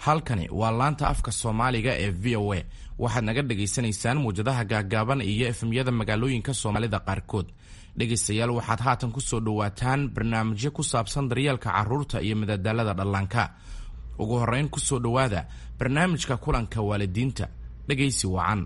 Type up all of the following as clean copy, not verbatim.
Halkani waa laanta afka Soomaaliga ee VOA. Waxaad naga dhagaysanaysaan muwjadaha gaaggaaban iyo FM-yada magaalooyinka Soomaalida qaarkood. Dhegaystayaal, waxaad haatan ku soo dhowaataan barnaamijyo ku saabsan daryeelka carruurta iyo madadaalada dhallaanka. Ugu horrayn, ku soo dhowaada barnaamijka kulanka waalidiinta. Dhegaysi wacan.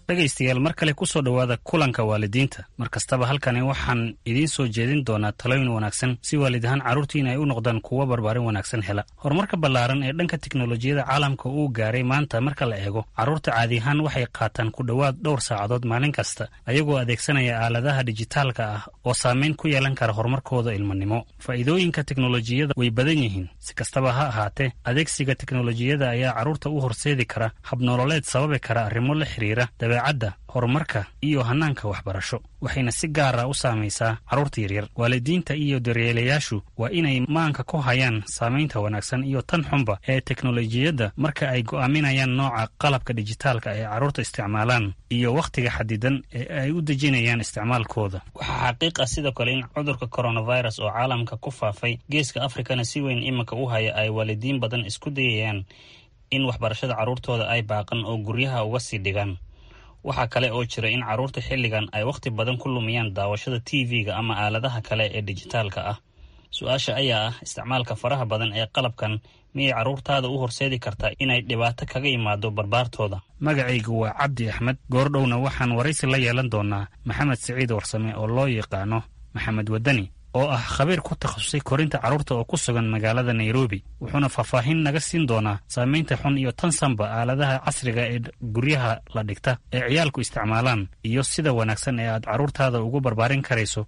Dhegaystayaal, mar kale ku soo dhowaada kulanka waalidiinta. Mar kastaba halkani waxaan idiin soo jeedin doonaa talooyin wanaagsan si waalid ahaan carruurtiina ay u noqdaan kuwo barbaarin wanaagsan hela. Horumarka ballaaran ee dhanka tiknolojiyada caalamka uu gaaray maanta marka la eego, carruurta caadi ahaan waxay qaataan ku dhowaad dhowr saacadood maalin kasta ayagoo adeegsanaya aaladaha dijitaalka ah oo saameyn ku yeelan kara horumarkooda ilmanimo. Faa'iidooyinka teknolojiyada way badan yihiin. Si kastaba ha ahaatee, adeegsiga teknolojiyada ayaa carruurta u horseedi kara habnololeed sababi kara arrimo la xiriira dabeecadda, horumarka iyo hannaanka waxbarasho, waxayna si gaara u saamaysaa carruurta yaryar. Waalidiinta iyo daryeelayaashu waa inay maanka ku hayaan saamaynta wanaagsan iyo tan xunba ee teknolojiyadda marka ay go'aaminayaan nooca qalabka dijitaalka ee carruurta isticmaalaan iyo wakhtiga xadidan ee ay u dejinayaan isticmaalkooda. Waxaa xaqiiq ah sidoo kale in cudurka coronavirus oo caalamka ku faafay, Geeska Afrikana si weyn iminka u haya, ay waalidiin badan isku dayayaan in waxbarashada carruurtooda ay baaqan oo guryaha uga sii dhigaan. Waxaa kale oo jira in carruurta xilligan ay wakhti badan ku lumiyaan daawashada TV-ga ama aaladaha kale ee dijitaalka ah. Su-aasha ayaa ah, isticmaalka faraha badan ee qalabkan miyay carruurtaada u horseedi kartaa inay dhibaato kaga imaado barbaartooda? Magacaygu waa Cabdi Axmed. Goordhowna waxaan waraysi la yeelan doonaa Maxamed Siciid Warsame oo loo yaqaano Maxamed Wadani, oo ah khabiir ku takhasusay korinta carruurta oo ku sugan magaalada Nairobi, wuxuuna faahfaahin naga siin doonaa saamaynta xun iyo tan sanba aaladaha casriga ee guryaha la dhigta ee ciyaalku isticmaalaan iyo sida wanaagsan ee aad carruurtaada ugu barbaarin karayso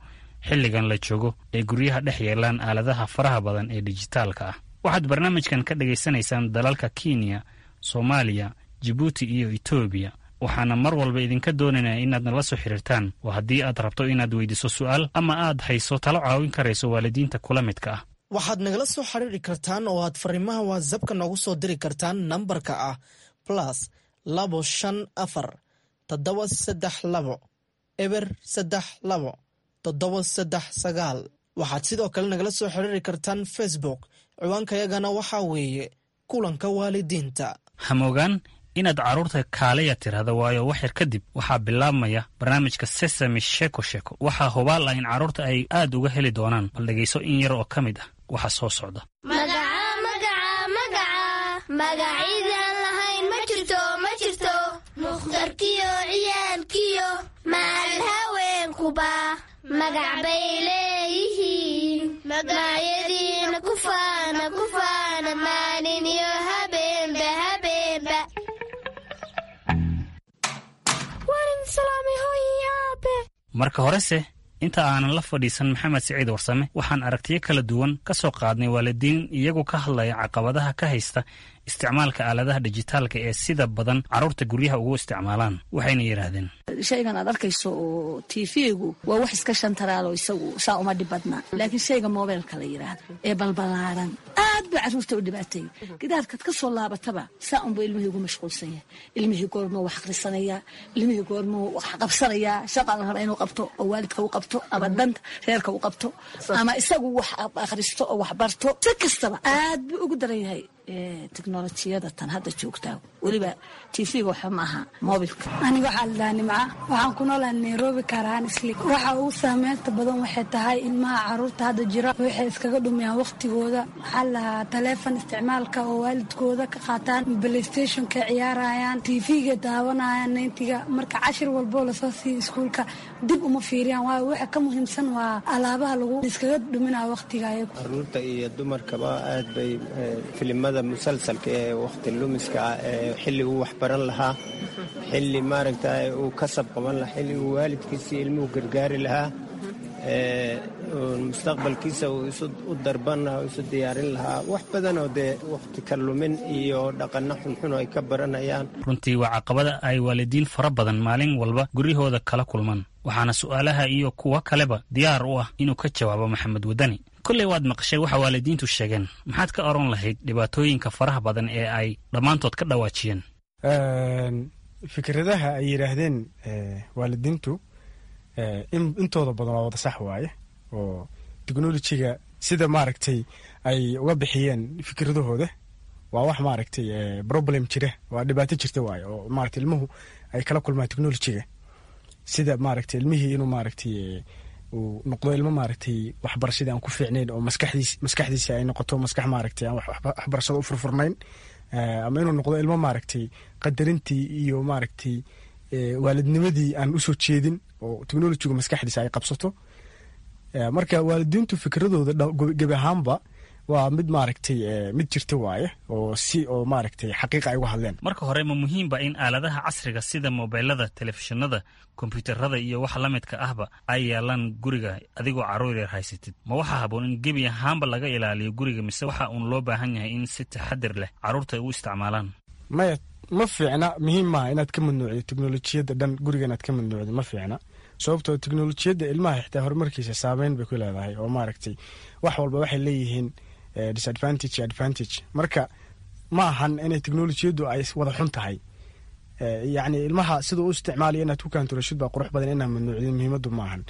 xilligan la joogo ee guryaha dhex yeelaan aaladaha faraha badan ee dijitaalka ah. Waxaad barnaamijkan ka dhagaysanaysaan dalalka Kenya, Soomaaliya, Jibuuti iyo Etoobiya. Waxaana mar walba idinka doonaynaa inaad nala soo xiriirtaan oo haddii aad rabto inaad weydiiso su'aal ama aad hayso talo caawin karayso waalidiinta kula midka ah. Waxaad nagala soo xiriiri kartaan oo aad fariimaha WhatsAppka noogu soo diri kartaan nambarka ah +254 732 032 739. Waxaad sidoo kale nagala soo xiriiri kartaan Facebook. Ciwaankayagana waxaa weeye Kulanka Waalidiinta. Hamogaan inaad carruurta kaalaya tirahda, waayo wax yar kadib waxaa bilaabmaya barnaamijka Sesame Sheeko Sheeko. Waxaa hubaal ah in carruurta ay aad uga heli doonaan. Bal dhegayso in yar oo ka mid ah waxa soo socda. Magaca, magaca, magaca, magacidaan lahayn ma jirto, ma jirto. Mukhtarkiyo ciyaalkiyo maal haweenkuba magac bay leeyihiin. Magacyadiina ku faana, ku faana, maalin iyo habeenba, habeenba. Waan salaamay, hooyo, aabe. Marka horese, inta aanan la fadhiisan Maxamed Siciid Warsame, waxaan aragtiyo kala duwan ka soo qaadnay waalidiin iyagu ka hadlaya caqabadaha ka haysta isticmaalka aaladaha dijitaalka ee sida badan carruurta guryaha ugu isticmaalaan. Waxayna yidhaahdeen: Shaygan aad arkayso oo TV-gu waa wax iska shantaraalo, isagu saa uma dhib badnaa, laakiin shayga mobeelka la yidhaahdo ee balbalaaran aad buu carruurta u dhibaateeyey. Gidaarkaad ka soo laabataba saa unbuu ilmihii ugu mashquulsan yahay. Ilmihii goormuu wax akhrisanayaa? Ilmihii goormuu wax qabsanayaa? Shaqa la raba inuu qabto oo waalidka u qabto ama danta reerka u qabto ama isagu wax akhristo oo wax barto, si kastaba aad buu ugu daran yahay teknolojiyada tan hadda joogtaa, weliba TV-ga waxba ma aha, mobilka. Aniga waxaa la dhahaa Nimca. Waxaan ku noolahay Nairobi, gaar ahaan Isli. Waxa ugu saameynta badan waxay tahay ilmaha caruurta hadda jira waxay iskaga dhumiyaan waqtigooda, waxaa la dhahaa, taleefon isticmaalka oo waalidkooda ka qaataan, PlayStationka ciyaarayaan, TV-ga daawanayaan ninetiga. Marka cashir walboo lasoo siiyo iskuulka dib uma fiiriyaan, waayo waxa ka muhiimsan waa alaabaha lagu iskaga dhuminaya waqtiga ayagu. Caruurta iyo dumarkaba aad bay filimada musalsalka ee waqti lumiska ah ee xilli uu waxbaran lahaa, xilli maaragta uu kasab qaban lahaa, xilli uu waalidkiisii ilmuhu gargaari lahaa, mustaqbalkiisa uu isu u darban lahaa, isu diyaarin lahaa, wax badanoo dee waqti ka lumin iyo dhaqanno xunxun ay ka baranayaan. Runtii waa caqabada ay waalidiin fara badan maalin walba guryahooda kala kulmaan, waxaana su'aalaha iyo kuwo kaleba diyaar u ah inuu ka jawaabo Maxamed Wadani. Kolley waad maqashay waxa waalidiintu sheegeen. Maxaad ka oran lahayd dhibaatooyinka faraha badan ee ay dhammaantood ka dhawaajiyeen? Fikradaha ay yidhaahdeen waalidiintu intooda badan waa wada sax waaye, oo technolojiga sida maaragtay ay uga bixiyeen fikradahooda waa wax maaragtay problem jira, waa dhibaato jirta waaye, oo maaragtay ilmuhu ay kala kulmaan technolojiga, sida maaragtay ilmihii inuu maaragtay uu noqdo ilmo maaragtay waxbarashadii aan ku fiicnayn, oo maskaxdiisa ay noqoto maskax maaragtay aan waxbarashada u furfurnayn, ama inuu noqdo ilmo maaragtay qadarintii iyo maaragtay waalidnimadii aan usoo jeedin, oo technolojigu maskaxdiisa ay qabsato. Marka waalidiintu fikradooda gebi ahaanba waa mid maaragtay mid jirta waaye, oo si oo maaragtay xaqiiqa ay uga hadleen. Marka hore, ma muhiimba in aaladaha casriga sida mobilada, telefishinada, kombyuutarada iyo waxa la midka ahba ay yaalaan guriga adigoo carruur yar haysatid? Ma waxaa haboon in gebi ahaanba laga ilaaliyo guriga, mise waxa uun loo baahan yahay in si taxadir leh carruurta ay u isticmaalaan? Maya, ma fiicna. Muhiim maaha inaad ka mamnuucdo teknolojiyadda dhan guriga, inaad ka mamnuucdo ma fiicna, sababtoo teknolojiyadda ilmaha xitaa horumarkiisa saameyn bay ku leedahay, oo maaragtay wax walba waxay leeyihiin disadvantage, advantage. Marka ma ahan inay teknolojiyaddu ay wada xun tahay. Yacni ilmaha siduu u isticmaalayo inaad ku kaanturashid baa qurux badan, inaa mamnuucdin muhiimaddu ma ahan,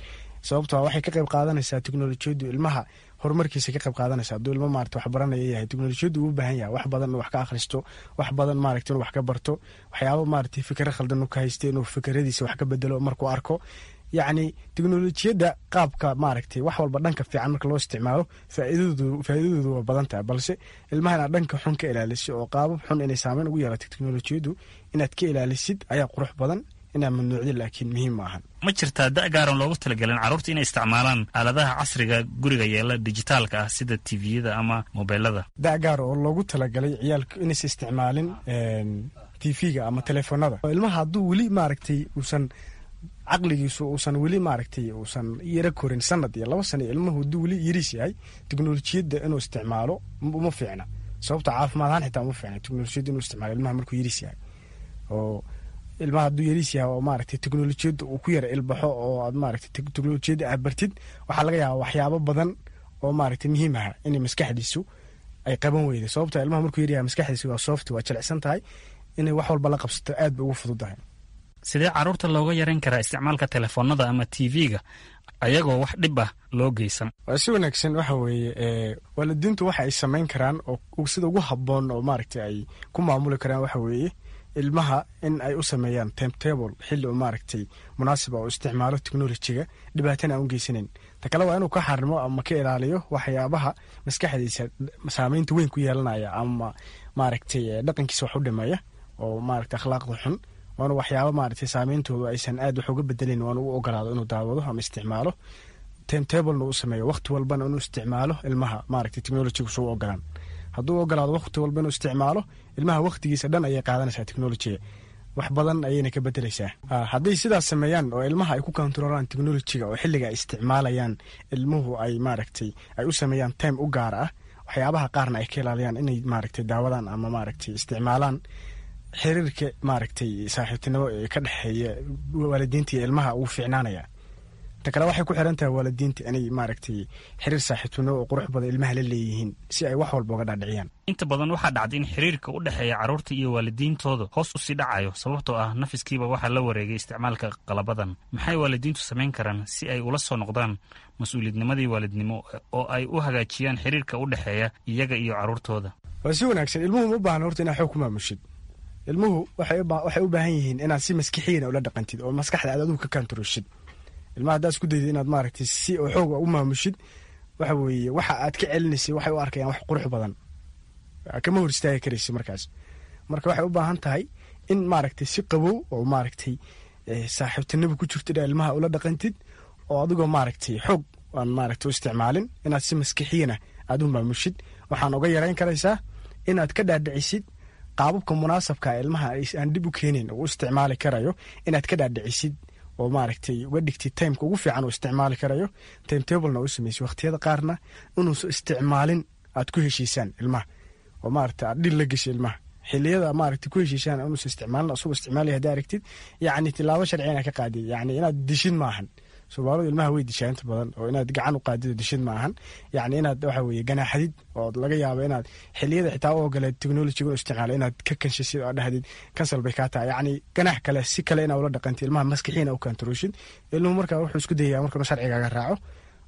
sababtoo waxay ka qayb qaadanaysaa teknolojiyaddu ilmaha horumarkiisa ka qayb qaadanaysa. Hadduu ilmo maarata wax baranaya yahay, teknolojiyaddu uu u baahan yahay wax badan inuu wax ka akhristo, wax badan maaragta inuu wax ka barto, waxyaabo maaragtay fikra khaldan uu ka haysta inuu fikradiisa wax ka bedelo markuu arko. Yacni teknolojiyadda qaabka maaragtay wax walba dhanka fiican marka loo isticmaalo faa'iidadoodu waa badan tahay, balse ilmaha inaad dhanka xun ka ilaalisid oo qaabab xun inay saameyn ugu yeelato teknolojiyaddu inaad ka ilaalisid ayaa qurux badan, inaad mamnuucdin laakiin muhiim ma ahan. Ma jirtaa da' gaaran loogu talagelin carruurta inay isticmaalaan aaladaha casriga guriga yeela dijitaalka ah sida tviyada ama mobilada? Da' gaar oo loogu talagalay ciyaalku inaysa isticmaalin tv-ga ama telefoonada, ilmaha hadduu weli maaragtay uusan caqligiisu uusan weli maaragtay uusan yaro korin sanad iyo 2 sano, ilmuhu hadduu weli yariis yahay, teknolojiyadda inuu isticmaalo uma fiicna, sababta caafimaad ahaan xitaa uma fiicna teknolojiyadda inuu isticmaalo ilmaha markuu yariis yahay. Oo ilmaha hadduu yariis yahay oo maaragtay teknolojiyadda uu ku yara ilbaxo oo aad maaragtay teknolojiyadda aad bartid, waxaa laga yaabaa waxyaabo badan oo maaragtay muhiim aha inay maskaxdiisu ay qaban weyda, sababta ilmaha markuu yaryahay maskaxdiisu waa soft, waa jilicsan tahay, inay wax walba la qabsato aad bay ugu fududahay. Sidee carruurta looga yaran karaa isticmaalka telefoonada ama tv-ga ayagoo wax dhib ah loo geysan? Waa si wanaagsan. Waxa weeye, waalidiintu waxa ay samayn karaan oo sida ugu habboon oo maaragtay ay ku maamuli karaan waxa weeye ilmaha in ay u sameeyaan timetable, xilli oo maaragtay munaasiba oo isticmaalo technolojiga, dhibaatana aan u geysanayn. Ta kale waa inuu ka xarimo ama ka ilaaliyo waxyaabaha maskaxdiisa saameynta weyn ku yeelanaya ama maaragtay dhaqankiisa wax u dhimeeya oo maaragtay akhlaaqda xun. Waanu waxyaaba maaragtay saameyntoodu aysan aad wax uga bedelayn waanu u ogolaado inuu daawado ama isticmaalo, timetablena uu sameeyo, waqti walbana inuu isticmaalo ilmaha maaragtay technolojiga suu ogolaan. Hadduu ogolaado waqti walba inuu isticmaalo ilmaha, waqtigiisa dhan ayay qaadanaysaa technolojiga, wax badan ayayna ka bedeleysaa. Hadday sidaas sameeyaan oo ilmaha ay ku kontarolaan technolojiga oo xilliga ay isticmaalayaan ilmuhu ay maaragtay ay u sameeyaan time u gaar ah, waxyaabaha qaarna ay ka ilaaliyaan inay maaragtay daawadaan ama maaragtay isticmaalaan, xiriirka maaragtay saaxiibtinimo ee ka dhexeeya waalidiinta iyo ilmaha uu fiicnaanaya. Ta kale waxay ku xiran tahay waalidiinta inay maaragtay xiriir saaxiibtinimo oo qurux badan ilmaha la leeyihiin si ay wax walba uga dhaadhiciyaan. Inta badan waxaa dhacday in xiriirka u dhexeeya carruurta iyo waalidiintooda hoos usii dhacayo, sababtoo ah nafiskiiba waxaa la wareegay isticmaalka qalabadan. Maxay waalidiintu samayn karaan si ay ula soo noqdaan mas-uuliyadnimadii waalidnimo oo ay u hagaajiyaan xiriirka u dhexeeya iyaga iyo carruurtooda? Waa si wanaagsan. Ilmuhu ma u baahna horta inaad xoog ku maamushid. Ilmuhu waxay u baahan yihiin inaad si maskixiina ula dhaqantid oo maskaxda aad adigu ka kantaroshid ilmaha. Haddaad isku daydid inaad maaragtay si oo xooga u maamushid, waxa weeye waxa aad ka celinaysay waxay u arkayaan wax qurux badan, kama hor istaagi karaysa markaas. Marka waxay u baahan tahay in maaragtay si qabow oo maaragtay saaxiibtinimo ku jirto inaa ilmaha ula dhaqantid, oo adigoo maaragtay xoog aan maaragtay u isticmaalin inaad si maskixiyana aad u maamushid. Waxaan uga yarayn karaysaa inaad ka dhaadhicisid qaababka munaasabka ilmaha aan dhib u keenayn oo u isticmaali karayo, inaad ka dhaadhicisid oo maaragtay uga dhigtid timeka ugu fiican uu isticmaali karayo, timetablena u sameysay, waqtiyada qaarna inuusan isticmaalin aad ku heshiisaan ilmaha, oo maaragtay aad dhil la geshay ilmaha xiliyada maaragtay ku heshiisaan inuusan isticmaalin. Asagoo isticmaalaya hadii aragtid, yacni tilaabo sharci inaad ka qaadid, yacni inaad dishin maahan. Soomaalidu ilmaha way dishaa inta badan, oo inaad gacan u qaadid oo dishid ma ahan. Yacni inaad waxa weeye ganaaxadid, oo laga yaabo inaad xilliyada xitaa u ogoleed technology u isticmaalo inaad ka kanshisid oo dhahdid cancel bay kaa tahay. Yacni ganaax kale si kale inaa ula dhaqantid ilmaha, maskixiina u kantaroshid ilmuhu. Marka wuxuu isku dayayaa marka inuu sharcigaaga raaco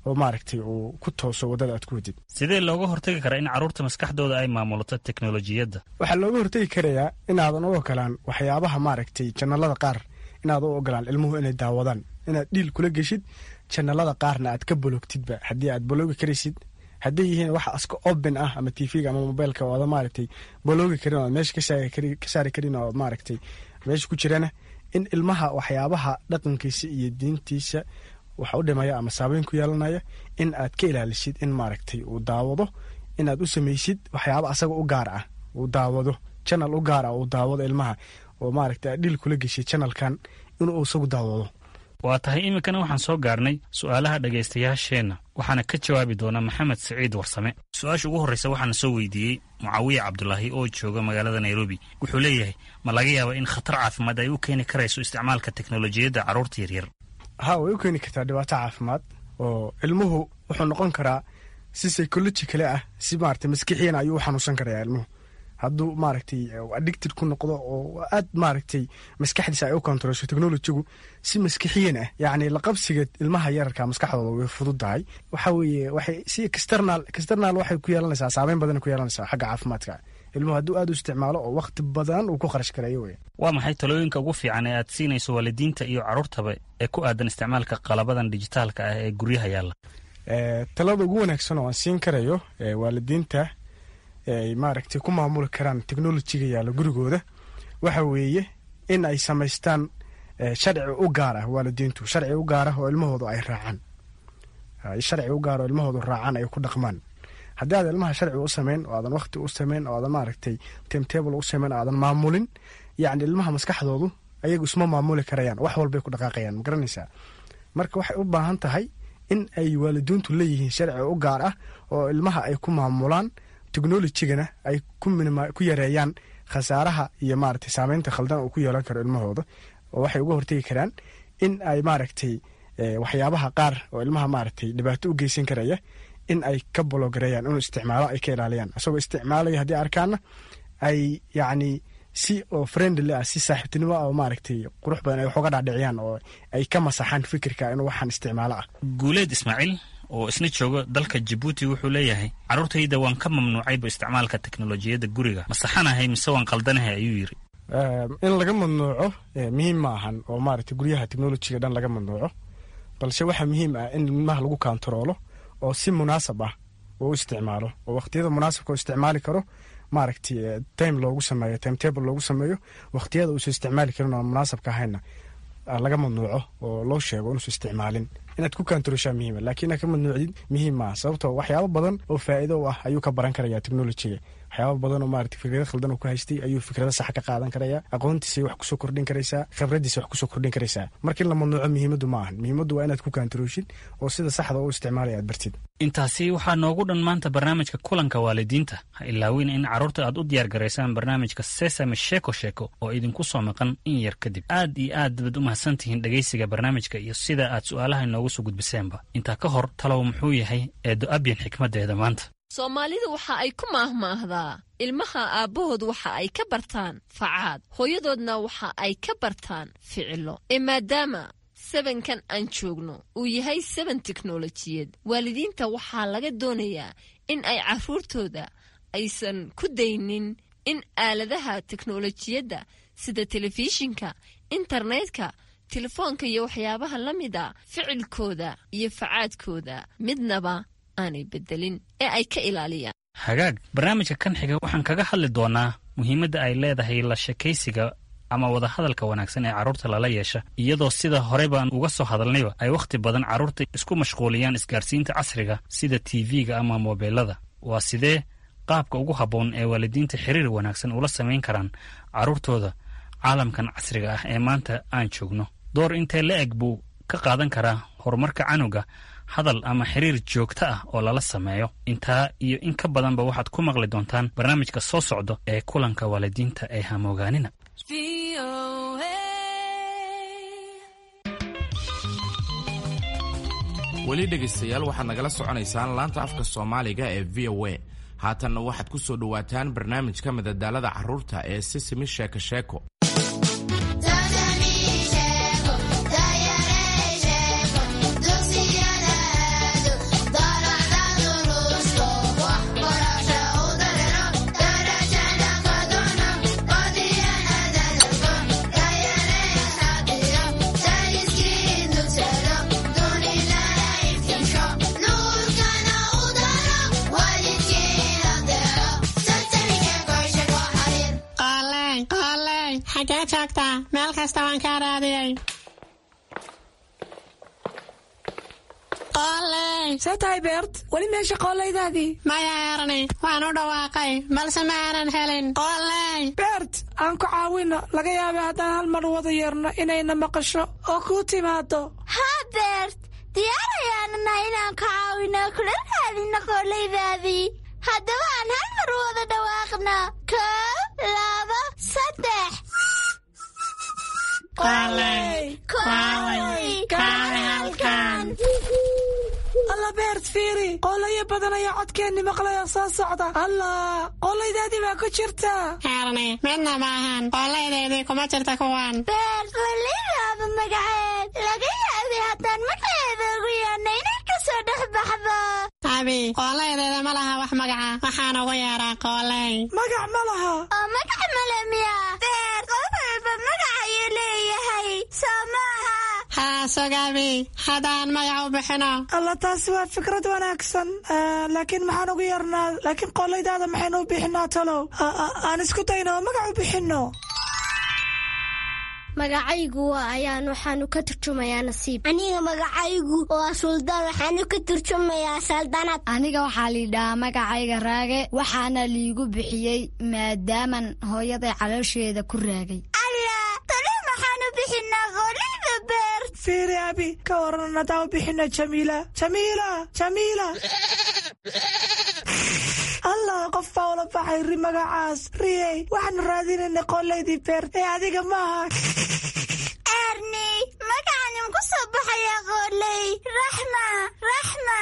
oo maaragtay uu ku tooso waddada aad ku wadid. Sidee looga hortagi karaa in carruurta maskaxdooda ay maamulato teknolojiyadda? Waxaa looga hortagi karayaa inaadan u ogolaan waxyaabaha maaragtay channelada qaar, inaad u ogolaan ilmuhu inay daawadaan, inaad deal kula geshid, channelada qaarna aad ka block-tidba haddii aad block-i karaysid. Hadday yihiin wax iska open ah ama TV-ga ama mobilka oo aada maaragtay block-i karin oo aad meesha ka saari karin oo maaragtay meesha ku jirana, in ilmaha waxyaabaha dhaqankiisa iyo diintiisa waxa u dhimaya ama saabeyn ku yeelanaya in aad ka ilaalisid in maaragtay uu daawado, inaad u samaysid waxyaaba asaga u gaar ah uu daawado, channel u gaar ah uu daawado ilmaha, oo maaragtay aad deal kula geshid channelkan inuu isagu daawado. Waa tahay. Iminkana waxaan soo gaarnay su'aalaha dhegaystayaasheenna, waxaana ka jawaabi doona Maxamed Siciid Warsame. Su-aasha ugu horreysa waxaana soo weydiiyey Mucaawiye Cabdulaahi oo jooga magaalada Nairobi. Wuxuu leeyahay, ma laga yaaba in khatar caafimaad ay u keeni karayso isticmaalka teknolojiyadda carruurta yaryar? Ha, way u keeni kartaa dhibaato caafimaad, oo ilmuhu wuxuu noqon karaa si psychologically ah, si maaragtay maskixiyan ayuu u xanuunsan karayaa ilmuhu hadduu maaragtay addicted ku noqdo oo aad maaragtay maskaxdiisa ay u controlsho technologygu si maskixiyan ah. Yacni laqabsiga ilmaha yararka maskaxdooda way fududahay. Waxa weeye waxay si external waxay ku yeelanaysaa saameyn badan ku yeelanaysaa xagga caafimaadka ilmuhu hadduu aad u isticmaalo oo waqti badan uu ku kharash gareeyo wey. Waa maxay talooyinka ugu fiican ee aad siinayso waalidiinta iyo carruurtaba ee ku aadan isticmaalka qalabadan dijitaalka ah ee guryaha yaalla? Talada ugu wanaagsan oo aan siin karayo waalidiinta ay maaragtay ku maamuli karaan technologyga yaalla gurigooda waxa weeye in ay samaystaan sharci u gaar ah waalidiintu, sharci u gaar ah oo ilmahoodu ay raacaan, sharci u gaar oo ilmahoodu raacaan, ay ku dhaqmaan. Haddii aad ilmaha sharci u samayn oo aadan waqti u samayn oo aadan maaragtay timetable u samayn oo aadan maamulin, yacni ilmaha maskaxdoodu ayagu isma maamuli karayaan, wax walbay ku dhaqaaqayaan, ma garanaysaa? Marka waxay u baahan tahay in ay waalidiintu leeyihiin sharci u gaar ah oo ilmaha ay ku maamulaan, technologygana ay ku yareeyaan khasaaraha iyo maaragtay saameynta khaldan uu ku yeelan karo ilmahooda. Oo waxay uga hortegi karaan in ay maaragtay waxyaabaha qaar oo ilmaha maaragtay dhibaato u geysan karaya in ay ka block-gareeyaan inuu isticmaalo, ay ka ilaaliyaan isagoo isticmaalaya. Haddii arkaana ay yacni si oo friendly ah, si saaxiibtinimo ah oo maaragtay qurux badan ay wax uga dhaadhiciyaan oo ay ka masaxaan fikirka inuu waxaan isticmaalo ah. Guuleed Ismaaciil oo isna jooga dalka Jabuuti wuxuu leeyahay, carruurtayda waan ka mamnuucayba isticmaalka teknolojiyadda guriga, ma saxanahay mise waan qaldanahay, ayuu yidhi. In laga mamnuuco muhiim ma ahan oo maaragtay guryaha technologyga dhan laga mamnuuco, balse waxaa muhiim ah in ilmaha lagu kantaroolo oo si munaasab ah uu isticmaalo, oo waqtiyada munaasabka u isticmaali karo maaragtay time loogu sameeyo, timetable loogu sameeyo. Waqtiyada uusan isticmaali karin oo munaasabka ahayna laga mamnuuco oo loo sheego inuusan isticmaalin. Inaad ku kantaroshaa muhiima, laakiin inaad ka mamnuucdid muhiim maaha, sababtoo waxyaabo badan oo faa'iido u ah ayuu ka baran karaya technologyga. Waxyaabo badan oo maaragtay fikrado khaldan uu ku haystay ayuu fikrado sax ka qaadan karaya, aqoontiisay wax kusoo kordhin karaysaa, khibradiisa wax kusoo kordhin karaysaa. Marka in la mamnuuco muhiimaddu ma ahan, muhiimaddu waa inaad ku kantarooshid oo sida saxda u isticmaalaya aad bartid. Intaasi waxaa noogu dhan maanta barnaamijka kulanka waalidiinta. Ha ilaawin in carruurta aad u diyaar garaysaan barnaamijka Sesame Sheeko Sheeko oo idinku soo maqan in yar kadib. Aad iyo aad baad u mahadsantihiin dhegaysiga barnaamijka iyo sida aad su'aalaha inoogu soo gudbiseenba. Intaa ka hor, talow muxuu yahay Eedo Abyan xikmaddeeda maanta? Soomaalidu waxa ay ku maahmaahdaa, ilmaha aabbahood waxa ay ka bartaan facaad, hooyadoodna waxa ay ka bartaan ficilo. Ee maadaama sabankan aan joogno uu yahay saban teknolojiyad, waalidiinta waxaa laga doonayaa in ay carruurtooda aysan ku daynin in aaladaha teknolojiyadda sida telefishinka, internetka, telefoonka iyo waxyaabaha la mida ficilkooda iyo facaadkooda midnaba aanay bedelin ee ay ka ilaaliyaan. Hagaag, barnaamijka kan xiga waxaan kaga hadli doonaa muhiimadda ay leedahay la sheekaysiga ama wadahadalka wanaagsan ee carruurta lala yeesha, iyadoo sida horey baan uga soo hadalnayba ay wakhti badan carruurta isku mashquuliyaan isgaarsiinta casriga sida TV-ga ama moobeelada. Waa sidee qaabka ugu habboon ee waalidiinta xiriir wanaagsan ula samayn karaan carruurtooda caalamkan casriga ah ee maanta aan joogno? Door intee la eg buu ka qaadan karaa horumarka canuga hadal ama xiriir joogto ah oo lala sameeyo? Intaa iyo in ka badanba waxaad ku maqli doontaan barnaamijka soo socda ee kulanka waalidiinta ee hamoogaanina. Weli dhegaystayaal, waxaad nagala soconaysaan laanta afka Soomaaliga ee VOA. Haatanna waxaad ku soo dhowaataan barnaamijka madadaalada carruurta ee Sisimi Sheeko Sheeko. Xagee joogtaa? Meel kasta waan kaa raadiyey. Qooley! See tahay, Beert? Weli meesha qoollaydaadii? Maya, Erni, waan u dhawaaqay balse ma aanan helin. Qooley! Beert, aan ku caawino. Laga yaabay haddaan hal mar wada yeerno inayna maqasho oo kuu timaado. Haa Beert, diyaar ayaanu nahay inaan ku caawino kula raadino qoollaydaadii. Haddaba aan hal mar wada dhawaaqno: 1, 2, 3. Alla Beert, fiiri, qoolayo badan ayaa codkeenni maqlaya soo socda. Allah, qoollaydaadii baa ku jirta. Erni, midna maahan, qoollaydaydii kuma jirta kuwan. Beert, qoollaydaaba magaceed laga yaabay haddaan magaceeda ugu yeerna inay ka soo dhex baxdo. Abi, qoollaydeeda ma laha wax magaca, waxaan ugu yeeraa qooley. Magac ma laha? Oo magac male miya? Beert, qof walba magac ayuu leeyahay, soo maaha? Haa, sugabi, haddaan magac u bixino. Alla, taasi waa fikrad wanaagsan, laakiin maxaan ugu yeernaa? Laakiin qoollaydaada maxaynu u bixinaa talow? Aan isku dayno oo magac u bixinno. Magacaygu waa Ayaan, waxaanu ka turjumayaa nasiib. Aniga magacaygu waa Suldaan, waxaanu ka turjumayaa saldanad. Aniga waxaa liidhahaa magacayga Raage, waxaana liigu bixiyey maadaaman hooyaday caloosheeda ku raagay. Alla, talo maxaanu bixinaa qoollayda, Beert? Fiiri Abi, ka waran haddaan u bixino Jamiila? Jamiila, Jamiila! Allah, qof baa ula baxay ri magacaas. Riyey, waxaanu raadinaynay qoolaydii Beert ee adiga maaha. Erni, magacanim ku soo baxayaa qooley. Raxma, Raxma!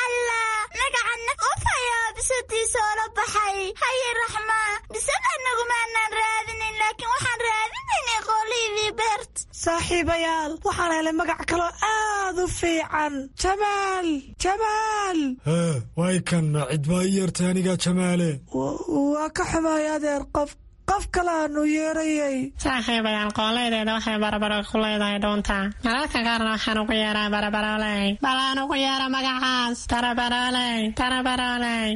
Allah, magacanna qof ayaa bisadiisa oola baxay. Haye Raxma, bisad anagumaanaan raadinin, laakiin waxaan raadinaynay qoolaydii Beert. Saaxiibayaal, waxaan helay magac kaloo aad u fiican: Jamaal, Jamaal! Hee, way kanna, cid baa ii yeertay anigaa Jamaale. Waa ka xumaay adeer, qof kale aanu yeerayay. Saaxiibayaal, qoollaydeeda waxay barbaro ku leedahay dhuunta. Mararka qaarna waxaan ugu yeeraa Barabarooley. Bal aan ugu yeero magacaas: Barabarooley, Barabarooley!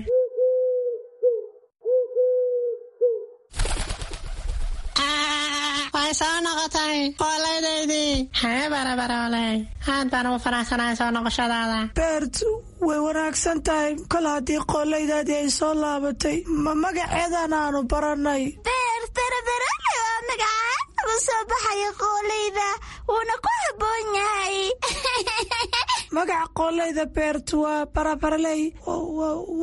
Way soo noqotay qoollaydaydii. Haye Barabarooley, aad baan ugu faraxsanahay soo noqoshadaada. Beert, way wanaagsan tahay kol haddii qoollaydaadii ay soo laabatay, ma magaceedan aanu barannay. Beert, Barabarooley waa magacaad ugu soo baxaya qoollayda, wuuna ku habboon yahay. Magaca qoollayda Beert waa Barabaraley,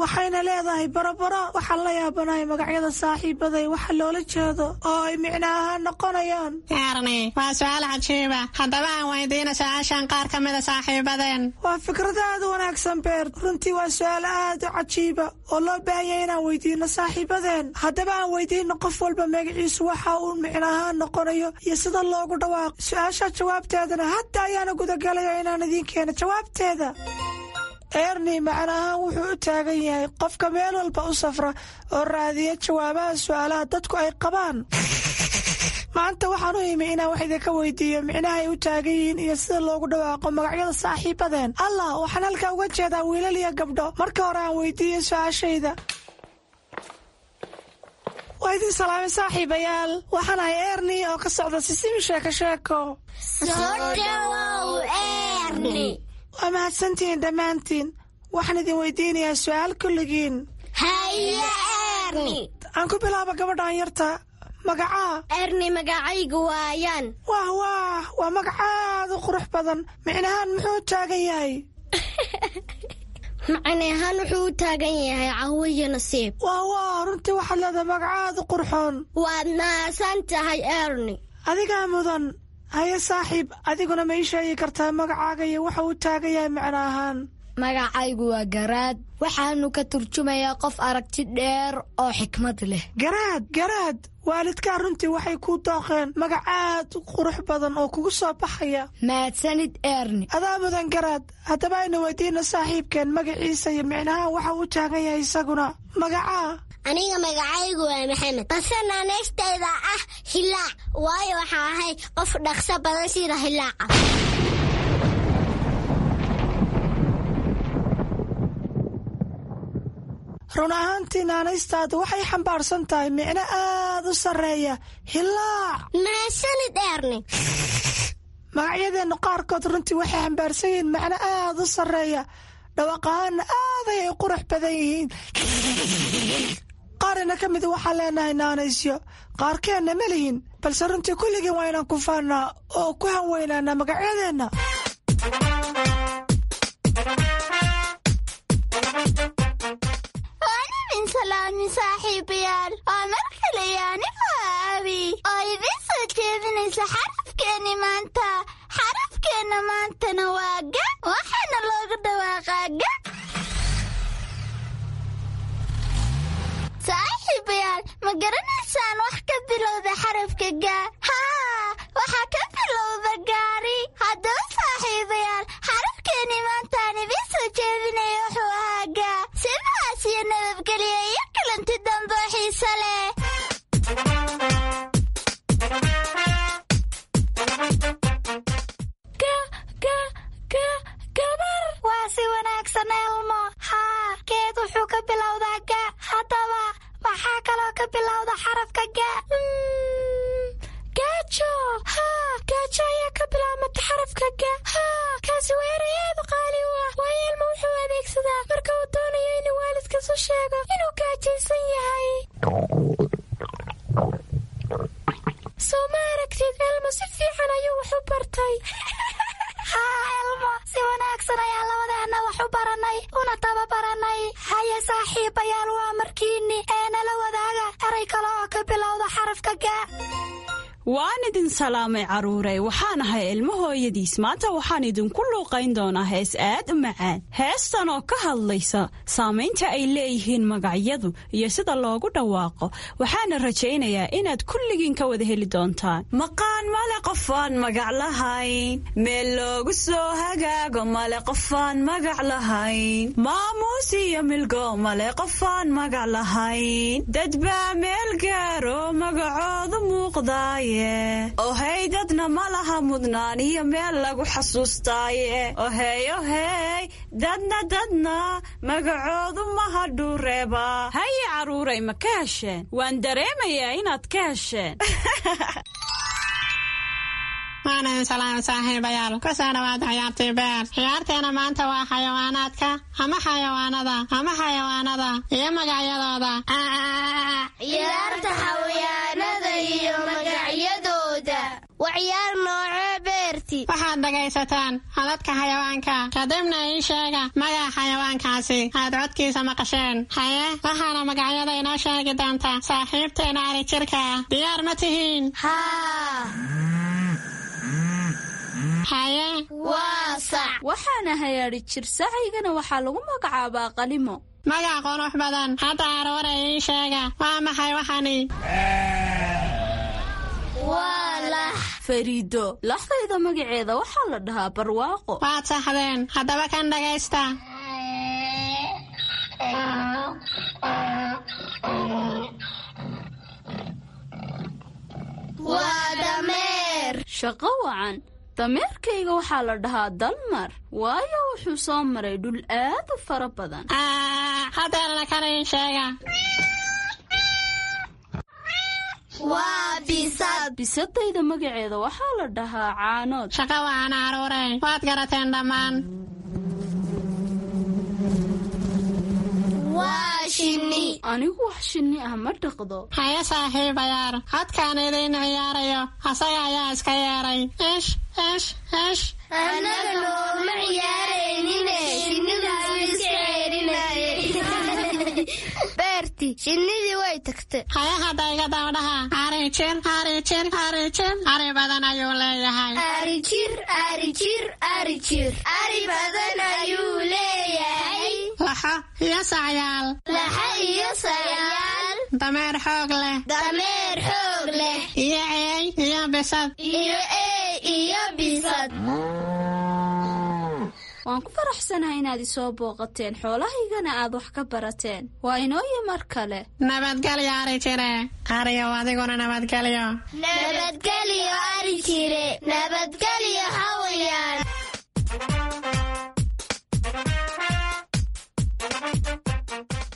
waxayna leedahay barabaro. Waxaan la yaabanahay magacyada saaxiibaday waxa loola jeedo oo ay micno ahaan noqonayaan. Erni, waa su-aal cajiiba. Haddaba aan weydiina su-aashan qaar ka mida saaxiibadeen. Waa fikrad aad u wanaagsan, Beert. Runtii waa su-aal aad u cajiiba oo loo baahan yahay inaan weydiino saaxiibadeen. Haddaba aan weydiino qof walba magaciisu waxa uu micno ahaan noqonayo iyo sida loogu dhawaaqo. Su-aasha jawaabteedana hadda ayaana gudagalaya inaan idiin keeno jawaabteeda. Erni macno ahaan wuxuu u taagan yahay qofka meel walba u safra oo raadiya jawaabaha su-aalaha dadku ay qabaan. Maanta waxaan u imi inaan wax idinka weydiiyo micnaha ay u taagan yihiin iyo sida loogu dhawaaqo magacyada saaxiibadeen. Allah, waxaan halkaa uga jeedaa wiilal iyo gabdho. Marka hore aan weydiiyo su-aashayda. Waa idin salaamay saaxiibayaal, waxaan ahay Erni oo ka socda Sisimi Sheeko Sheeko. Soo dhawow, Erni. Waa mahadsantihiin dhammaantiin. Waxaan idin weydiinayaa su-aal kulligiin. Haye Erni. Aan ku bilaabo gabadhaan yarta. Magacaa? Erni, magacaygu waa Ayaan. Wah wah, waa magac aad u qurux badan. Micnahaan muxuu taagan yahay? Macne ahaan wuxuu u taagan yahay cawo iyo nasiib. Wah wah, runtii waxaad leedahay magac aad u qurxoon. Waad mahadsan tahay, Erni. Adigaa mudan. Haye saaxiib, adiguna ma ii sheegi kartaa magacaaga iyo waxa uu taagan yahay macno ahaan? Magacaygu waa Garaad, waxaanu ka turjumayaa qof aragti dheer oo xikmad leh. Garaad, Garaad, waalidkaa runtii waxay kuu dooqeen magac aad u qurux badan oo kugu soo baxaya. Mahadsanid Eerni. Adaa mudan Garaad. Haddaba aynu weydiina saaxiibkeen magaciisa iyo micnaha waxa uu taagan yahay isaguna. Magacaa? Aniga magacaygu waa Maxamed, balse naanaystayda ah Hilaac, waayo waxaa ahay qof dhaqso badan sida hilaaca. Run ahaantii naanaystaadu waxay xambaarsan tahay micno aad u sarreeya, Hilaac. Mahadsanid Eerni. Magacyadeennu qaarkood runtii waxay xambaarsan yihiin macno aad u sarreeya, dhawaaq ahaanna aad ayay qurux badan yihiin. Qaarina ka mid waxaa leenahay naanaysyo, qaarkeenna ma lihin, balse runtii kulligeen waa inaan ku faannaa oo ku hanweynaanaa magacyadeenna. Waan idin salaami saaxiibayaal, waa mar kale iyo anigoo Aabi oo idiin soo jeedinaysa xarafkeenni maanta. Xarafkeenna maantana waa ga, waxaana loogu dhawaaqaa ga. Saaxiibayaal, ma garanaysaan wax ka bilowda xarafka ga? Haa, waxaa ka bilowda gaari. Haddaba saaxiibayaal, xarafkeenni maantaan idiin soo jeedinaya wuxuu ahaa ga. Sidaas iyo nabadgelyo iyo kulanti dambe oo xiiso leh. Gabar, waa si wanaagsan Elmo. Haa, geed wuxuu ka bilowdaa ga. Haddaba maxaa kaloo ka bilowda xarafka ga? Gaajo. Haa, gaajo ayaa ka bilaabmata xarafka ga. Haa, kaasi waa eray aad u qaali u ah, waayo Elmo wuxuu adeegsadaa marka uu doonayo inuu waalidkiis u sheego inuu gaajaysan yahay. Soo ma aragtid Elmo, si fiican ayuu wax u bartay. Haa Elmo, si wanaagsan ayaa labadeenna wax u baranay una tababaranay. Haye saaxiibayaal, waa markiinni ee nala wadaaga eray kale oo ka bilowda xarafka ga. Waan idin salaamay carruurey, waxaan ahay ilmo hooyadiis. Maanta waxaan idinku luuqayn doonaa hees aad u macaan, heestan oo ka hadlaysa saamaynta ay leeyihiin magacyadu iyo sida loogu dhawaaqo. Waxaana rajaynayaa inaad kulligiin ka wada heli doontaan. Maqaan male qofaan magac lahayn, meel loogu soo hagaago male qofaan magac lahayn, maamuus iyo milgo male qofaan magac lahayn, dad baa meel gaaro magacoodu muuqdaaye, ohey dadna ma laha mudnaan iyo meel lagu xasuustaaye, ohey ohey dadna dadna magacoodu maha dhuureeba. Haye carruuray, ma ka hesheen? Waan dareemayaa inaad ka hesheen. Waan idin salaamay saaxiibayaal, ku soo dhawaada ciyaartii Beer. Ciyaarteena maanta waa xayawaanaadka ama xayawaanada ama xayawaanada iyo magacyadooda. Ciyaarta xayawaanada iyo magacyadooda waa ciyaar noocee, Beerti? Waxaad dhegaysataan codadka xayawaanka, kadibna ii sheega magaca xayawaankaasi aad codkiisa maqasheen. Haye, waxaana magacyada inoo sheegi doonta saaxiibteena ari jirka. Diyaar ma tihiin? Haa. Haye. Waa sac. Waxaana hayaadhi jir, sacaygana waxaa lagu magacaabaa Qalimo. Magac qurux badan. Hadda aroore ii sheega, waa maxay waxani? Waa lax. Fariido, laxdayda magaceeda waxaa la dhahaa Barwaaqo. Waad saxdeen. Haddaba kan dhagaysta. Waa dameer. Shaqo wacan. Dameerkayga waxaa la dhahaa Dalmar, waayo wuxuu soo maray dhul aad u fara badan. Hadeerna kan ii sheega. Waa bisad. Bisadayda magaceeda waxaa la dhahaa Caanood. Shaqo wacan caruurey, waad garateen dhammaan. Waa shinni. Anigu wax shinni ah ma dhaqdo. Haye saaxiibayaal, codkaan idiin ciyaarayo asaga ayaa iska yeeray. Ish ish ish. Annaga nooma ciyaaraynine, shinnidaas iska ceerinayay. Beerti. Xabiibti, shinnidii way tagtay. Haye, hadda iga dabadhaha: ari jir, ari jir, ari jir, ari badan ayuu leeyahay. Ari jir, ari jir, ari jir, ari badan ayuu leeyahay. Laxo iyo sacyaal. Laxo iyo sayaal. Dameer xoog leh. Dameer xoog leh. Iyo eey iyo bisad. Iyo eey iyo bisad. Waan ku faraxsanahay inaad isoo booqateen, xoolahaygana aad wax ka barateen. Waa inooyo mar kale. Nabadgelyo, ari jire. Ariyow, adiguna nabadgelyo. Nabadgelyo, ari jire. Nabadgelyo, xawayaan.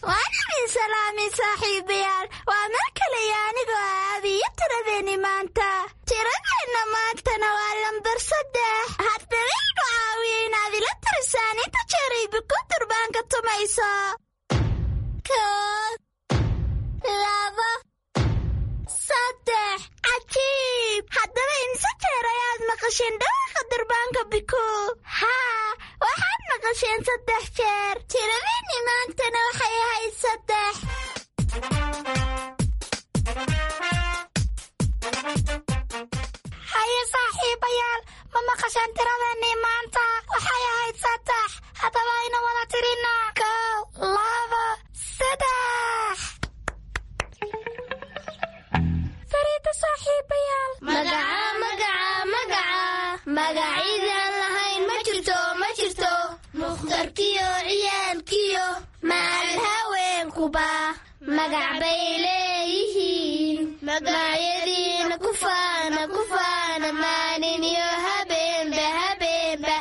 Waan idin salaamay, saaxiibayaal. Waa mar kaleyo anigoo aabiyo tiradeenni maanta. Tiradeenna maantana waa lambar 3. Haddaba igu caawiya inaad ila tirisaan inta jeerayba ku durbaanka tumayso. 1, 2, 3. Cajiib! Haddaba imse jeer ayaad maqasheen dhawaaqa durbaanka Biku? Haa, waxaad maqasheen 3 jeer. Tiradeenni maantana waxay ahayd 3. Haye saaxiibayaal, ma maqasheen tiradeenii maanta? Waxay ahayd 3. Haddaba aynu wada tirina: 1, 2, 3. Fariida, saaxiibayaal. Magaca, magaca, magaca, magacidaan lahayn ma jirto, ma jirto. Mukhtarkiyo ciyaalkiyo maal haweenkuba magac bay leeyihiin. Magacyadiina ku faana, ku faana, maalin iyo habeenba, habeenba.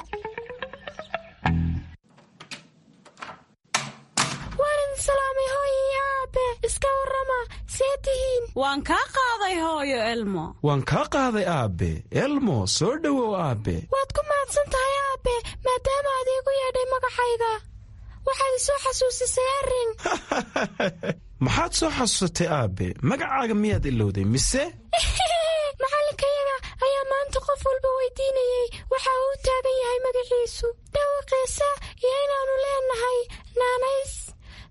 Waan idin salaamay, hooyo iyo aabe. Iska warrama, see tihiin? Waan kaa qaaday, hooyo Elmo. Waan kaa qaaday, aabe Elmo. Soo dhowow, aabe. Waad ku mahadsan tahay, aabe, maadaama aad iigu yeedhay magacayga. Waxaad isoo xasuusisay arrin. Maxaad soo xasuusatay, aabe? Magacaaga miyaad ilowday mise? Macallinkayaga ayaa maanta qof walba weydiinayey waxa uu u taagan yahay magaciisu, dhawaqiisa iyo inaannu leenahay naanays.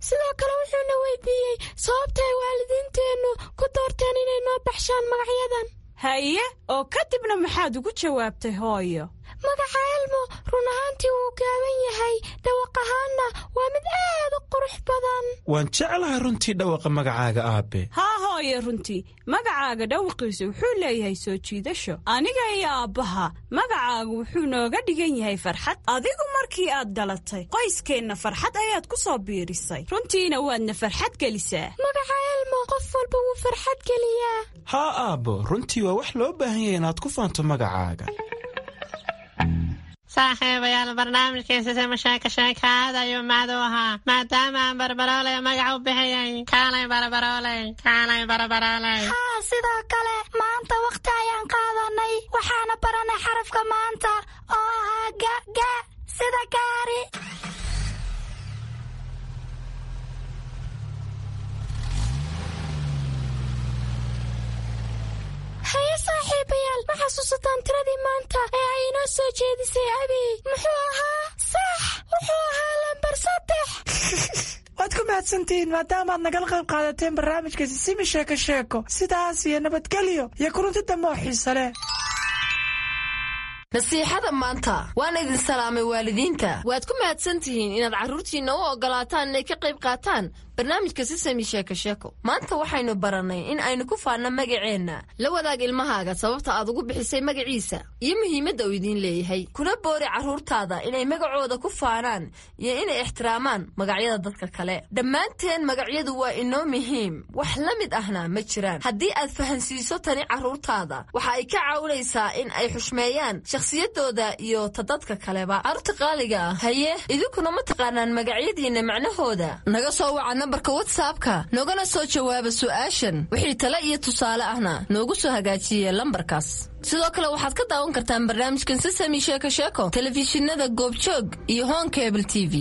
Sidoo kale wuxuuna weydiiyey sababta ay waalidiinteennu ku doorteen inay noo baxshaan magacyadan. Haye, oo kadibna maxaad ugu jawaabtay, hooyo? Magaca Elmo run ahaantii wuu gaaban yahay, dhawaq ahaanna waa mid aad u qurux badan. Waan jeclahay runtii dhawaqa magacaaga, aabe. Haa hooyo, runtii magacaaga dhawaqiisu wuxuu leeyahay soo jiidasho. Aniga iyo aabbaha magacaagu wuxuu nooga dhigan yahay farxad. Adigu markii aad dhalatay qoyskeenna farxad ayaad ku soo biirisay, runtiina waadna farxad gelisaa. Magaca Elmo qof walba wuu farxad geliyaa. Haa aabbo, runtii waa wax loo baahan yahay inaad ku faanto magacaaga. Saaxiibayaal, barnaamijkiisa sima sheeka sheeka aad ayuu mahad u ahaa, maadaama aan Barbarooley magac u bixiyey. Kaalay Barbarooley, kaalay Barbarooley. Haa, sidoo kale maanta wakhti ayaan qaadanay, waxaana baranay xarafka maanta oo ahaa ga, ga sida gaari. Haye saaxiibayaal, ma xasuusataan tiradii maanta ee ay inoo soo jeedisay Abi? Muxuu ahaa? Sax, wuxuu ahaa lambar 3. Waad ku mahadsantihiin maadaamaad nagala qayb qaadateen barnaamijka Sisimi Sheeko Sheeko. Sidaas iyo nabadgelyo iyo kulanti dambe oo xiise leh. Nasiixada maanta: waan idin salaamay, waalidiinta. Waad ku mahadsan tihiin inaad carruurtiinna u oggolaataan inay ka qayb qaataan barnaamijka Sisami Sheeko Sheeko. Maanta waxaynu barannay in aynu ku faanno magaceenna. La wadaag ilmahaaga sababta aad ugu bixisay magaciisa iyo muhiimadda uu idiin leeyahay. Kuna boori carruurtaada inay magacooda ku faanaan iyo inay ixtiraamaan magacyada dadka kale. Dhammaanteen magacyadu waa inoo muhiim, wax la mid ahna ma jiraan. Haddii aad fahansiiso tani carruurtaada, waxa ay ka caawinaysaa in ay xushmeeyaan shakhsiyadooda iyo ta dadka kaleba. Carruurta qaaliga ah, haye, idinkuna ma taqaanaan magacyadiinna macnahooda? Naga soo waca nambarka WhatsAppka, noogana soo jawaaba su'aashan. Wixii tale iyo tusaale ahna noogu soo hagaajiye lambarkaas. Sidoo kale waxaad ka daawan kartaan barnaamijkan Sisami Sheeko Sheeko telefishinada Goobjoog iyo Honkable TV.